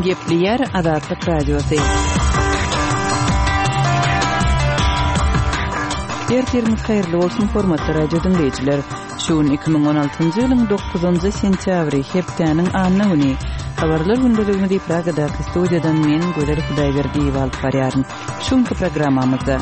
Gepleýär Azatlyk Radiosy. Ertiriňiz haýyrly bolsun, hormatly radio diňleýjiler! Şu gün 2016-njy ýylyň dokuzynjy sentýabry, hepdäniň anna güni. Habarlar gündeligimizi Pragadaky studiýadan men, Gözel Hudaýberdiýewa alyp barýaryn. Şu günki programmamyzda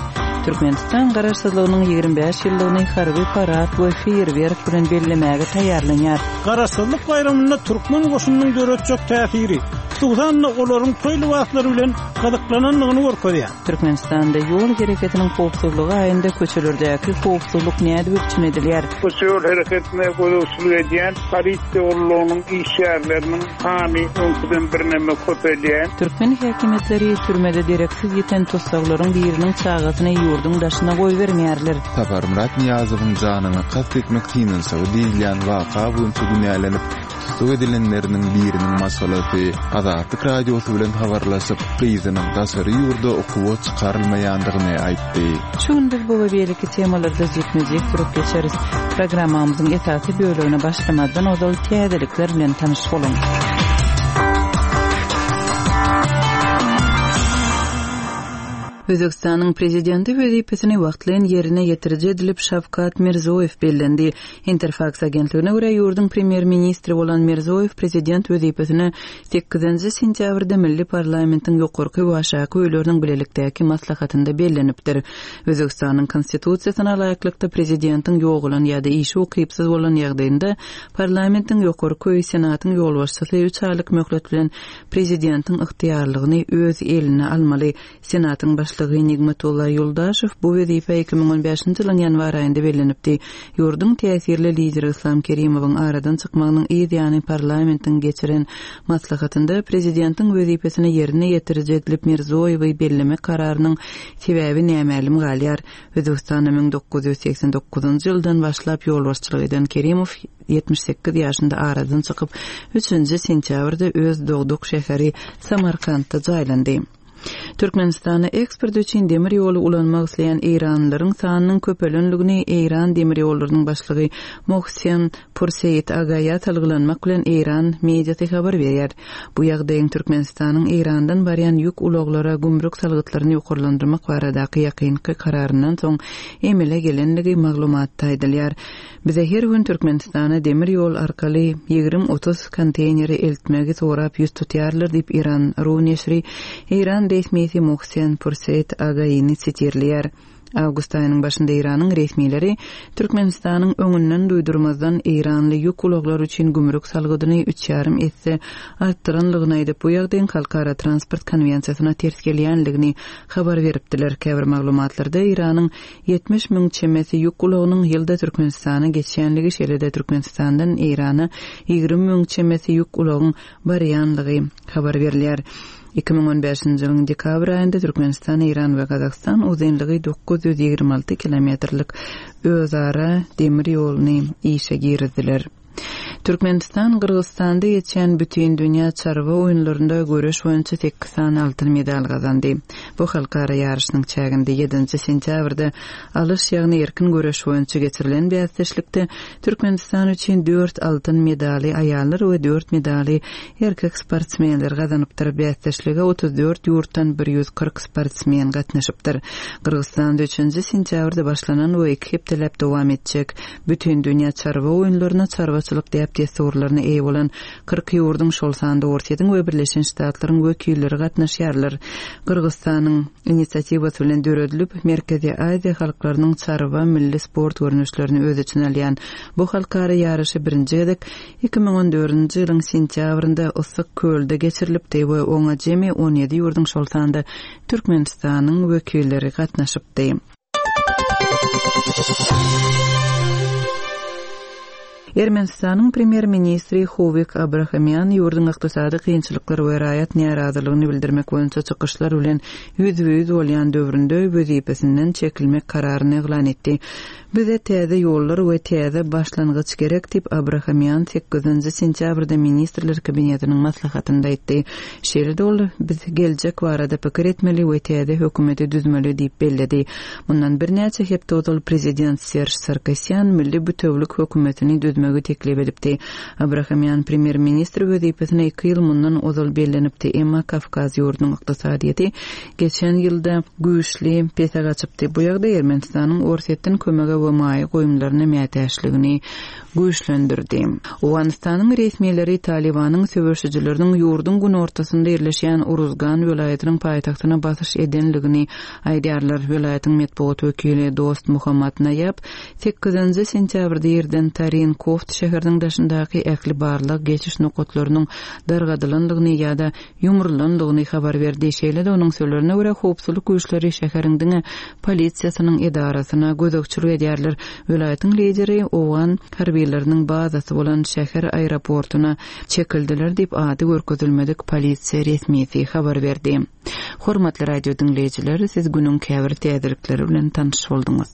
Türkmenistan Garaşsyzlygynyň 25 ýyllygyny harby parad we feýerwerk bilen bellemäge taýýarlanýar. Garaşsyzlyk baýramynda türkmen goşunynyň döretjek täsiri, hususan-da, olaryň toý lybaslary bilen gyzyklanandygyny görkezýär. Türkmenistanda ýol hereketiniň howpsuzlygy aýynda köçelerdäki howpsuzlyk nädip üpjün edilýär? Köçe ýol hereketine gözegçilik edýän polisiýa gullugynyň işgärleriniň sany öňküden birneme köpelýär. Türkmen häkimiýetleri türmede dereksiz ýiten tussaglaryň biriniň çagasyny ýurduň daşyna goýbermeýärler. Saparmyrat Nyýazowyň janyna kast etmek synanyşygy diýilýän waka boýunça günälenip, tussag edilenleriniň biriniň maşgalasy Azatlyk Radiosy bilen habarlaşyp, gyzynyň daşary ýurda okuwa çykarylmaýandygyny aýtdy. Şu gün biz bu we beýleki temalarda jikme-jik durup geçeris. Programmamyzyň esasy bölegine başlamazdan ozal täzelikler bilen tanyş boluň. Özbegistanyň Prezidenti wezipesini wagtlaýyn ýerine ýetiriji edilip Şawkat Mirzoýew bellendi. Interfaks agentligine görä, ýurduň premýer-ministri bolan Mirzoýew prezident wezipesine Sekizinji sentýabrda milli parlamentiň ýokarky we aşaky öýleriniň bilelikdäki maslahatynda bellenipdir. Özbegistanyň Konstitusiýasyna laýyklykda, prezidentiň ýogalan ýa-da işe ukypsyz bolan ýagdaýynda parlamentiň ýokarky öýi Senatyň ýolbaşçysy üç aýlyk möhlet bilen prezidentiň ygtyýarlygyny öz eline almaly. Senatyň başlygy Nigmatulla Ýuldaşew bu wezipä 2015-nji ýylyň ýanwar aýynda bellenipdi. Ýurduň täsirli lideri Yslam Kerimowyň aradan çykmagynyň yz ýany parlamentiň geçiren maslahatynda prezidentiň wezipesini ýerine ýetiriji edilip Mirzoýewi bellemek kararynyň sebäbi nämälim galýar. Özbegistana 1989-njy ýyldan başlap ýolbaşçylyk eden Kerimow 78 ýaşynda aradan çykyp, üçünji sentýabrda öz dogduk şäheri Samarkantda jaýlandy. Türkmenistana eksport üçin demir ýoly ulanmak isleýän eýranlylaryň sanynyň köpelenligini Eýran demir ýollarynyň başlygy Mohsen Purseýit Agaýa salgylanmak bilen eýran mediasy habar berýär. Bu ýagdaýyň Türkmenistanyň Eýrandan barýan ýük ulaglara gümrük salgytlaryny ýokarlandyrmak baradaky ýakynky kararyndan soň emele gelenligi maglumatda aýdylýar. Bize her gün Türkmenistana demir ýol arkaly ýigrim-otuz konteýneri eltmegi sorap ýüz tutýarlar diýip, Iran. Ru neşiri eýran resmisi Mohsen Purseýt Againi sitirleýär. Awgust aýynyň başynda Eýranyň resmileri Türkmenistanyň öňünden duýdurmazdan eýranly ýük ulaglary üçin gümrük salgydyny üç ýarym esse artdyranlygyny aýdyp, bu ýagdaýyň halkara transport konwensiýasyna ters gelýänligini habar beripdiler. Käbir maglumatlarda Eýranyň 70 müň çemesi ýük ulagynyň ýylda Türkmenistana geçýänligi, şeýle-de Türkmenistandan Eýrana 20 müň çemesi ýük ulagyň barýanlygy habar berilýär. 2015-nji ýylyň dekabr aýynda Türkmenistan, Eýran we Gazagystan uzynlygy 926 kilometrlik özara demir ýoluny işe girizdiler. Türkmenistan Gyrgyzystanda geçýän Bütindünýä çarwa oýunlarynda göreş boýunça sekiz sany altyn medal gazandy. Bu halkara ýaryşynyň çäginde ýedinji sentýabrda alyş, ýagny erkin göreş boýunça geçirilen bäsdeşlikde Türkmenistan üçin dört altyn medaly aýallar we dört medaly erkek sportsmenler gazanypdyr. Bäsdeşlige 34 ýurtdan 140 sportsmen gatnaşypdyr. Gyrgyzystanda üçünji sentýabrda başlanan we iki hepdeläp dowam etjek Bütindünýä çarwa oýunlaryna çarwaçylyk däp-dessurlaryna eýe bolan 40 ýurduň, şol sanda Orsýetiň we Birleşen Ştatlaryň wekilleri gatnaşýarlar. Gyrgyzystanyň inisiatiwasy bilen döredilip, Merkezi Aziýa halklarynyň çarwa milli sport görnüşlerini öz içine alýan bu halkara ýaryşy birinji gezek 2014-nji ýylyň sentýabrynda Yssyk kölde geçirilipdi we oňa jemi 17 ýurduň, şol sanda Türkmenistanyň wekilleri gatnaşypdy. Ermenistanyň premýer-ministri Howik Abrahamýan ýurduň ykdysady kynçylyklar we raýat närazylygyny bildirmek boýunça çykyşlar bilen ýüzbe-ýüz bolýan döwründe wezipesinden çekilmek kararyny yglan etdi. Bize täze ýollar we täze başlangyç gerek diýip, Abrahamýan sekizinji sentýabrda Ministrler Kabinetiniň maslahatynda aýtdy. Şeýle-de ol, Biz geljek barada pikir etmeli we täze hökümeti düzmeli diýip belledi. Mundan birnäçe hepde ozal prezident Serž Sarkisýan milli bütewülik hökümetini düzmegi teklip edipdi. Abrahamýan premýer-ministr wezipesine iki ýyl mundan ozal bellenipdi, emma Kawkaz ýurdunyň ykdysadyýeti geçen ýylda güýçli pese gaçypdy. Bu ýagdaý Ermenistanyň Orsýetden kömege we maýa goýumlaryna mätäçligini güýçlendirdi. Owganystanyň resmileri Talybanyň söweşijileriniň ýurduň günortasynda ýerleşýän Uruzgan welaýatynyň paýtagtyna basyş edenligini aýdýarlar. Welaýatyň metbugat wekili Dost Muhammad Naýab sekizinji sentýabrda irden Tarin Koft şäheriniň daşyndaky ähli barlag geçiş nokatlarynyň dargadylandygyny ýa-da ýumrulandygyny habar berdi. Şeýle-de onuň sözlerine görä, howpsuzlyk güýçleri şäheriň diňe polisiýasynyň edarasyna gözegçilik edýärler. Welaýatyň lideri owgan harbylarynyň bazasy bolan şäher aeroportuna çekildiler diýip, ady görkezilmedik polisiýa resmisi habar berdi. Hormatly radio diňleýjiler, siz günüň käbir täzelikleri bilen tanyş bolduňyz.